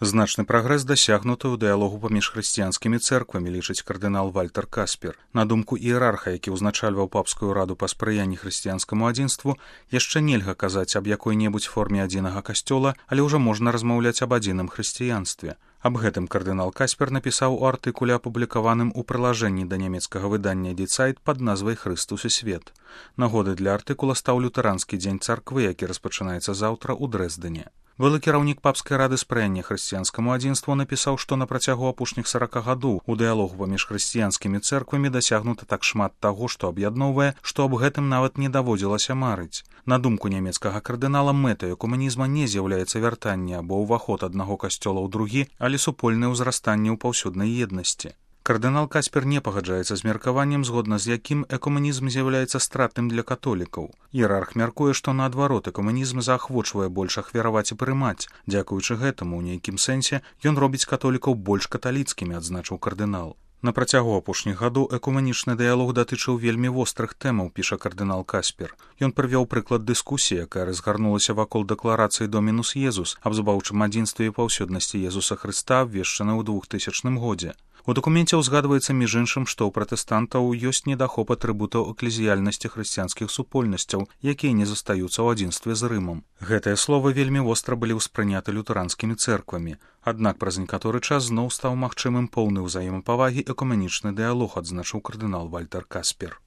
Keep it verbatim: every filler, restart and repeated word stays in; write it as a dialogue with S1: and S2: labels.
S1: Значны прагрэс дасягнуты ў дыялогу паміж хрысціянскімі цэрквамі, лічыць кардынал Вальтер Каспер. На думку іерарха, які ўзначальваў папскую раду па спрыянні хрысціянскаму адзінству, яшчэ нельга казаць аб якой-небудзь форме адзінага касцёла, але ўжо можна размаўляць аб адзіным хрысціянстве. Аб гэтым кардынал Каспер напісаў у артыкуле, апублікаваным у прылажэнні да нямецкага выдання «Die Zeit» пад назвай «Хрыстус і свет». Нагодай для артыкула стаў лютэранскі дзень царквы, які распачынаецца заўтра ў Дрэздане. Былы кіраўнік папскай рады спрыяння хрысціянскаму адзінству напісаў, што на працягу апошніх сарака гадоў у дыялогу паміж хрысціянскімі цэрквамі дасягнута так шмат таго, што аб'ядноўвае, што аб гэтым нават не даводзілася марыць. На думку нямецкага кардынала, мэтай экуманізма не з'яўляецца вяртанне або ўваход аднаго касцёла ў другі, але супольнае ўзрастанне ў паўсюднай еднасці. Кардынал Каспер не пагаджаецца з меркаваннем, згодна з якім экуманізм з'яўляецца стратным для католікаў. Іерарх мяркуе, што наадварот экуманізм заахвочвае больш ахвяраваць і прымаць. Дзякуючы гэтаму, у нейкім сэнсе, ён робіць католікаў больш каталіцкімі, адзначыў кардынал. На працягу апошніх гадоў экуманічны дыялог датычыў вельмі вострых тэмаў, піша кардынал Каспер. Ён прывёў прыклад дыскусіі, якая разгарнулася вакол дэкларацыі «Домінус Езус» аб збаўчым адзінстве і паўсюднасці Езуса Хрыста, абвешчанай у двухтысячным годзе. У дакуменце ўзгадваецца, між іншым, што ў пратэстантаў ёсць недахоп атрыбутаў эклезіяльнасці хрысціянскіх супольнасцяў, якія не застаюцца ў адзінстве з Рымам. Гэтыя словы вельмі востра былі ўспрыняты лютэранскімі цэрквамі. Аднак праз некаторы час зноў стаў магчымым поўны ўзаемапавагі экуманічны дыялог, адзначыў кардынал Вальтер Каспер.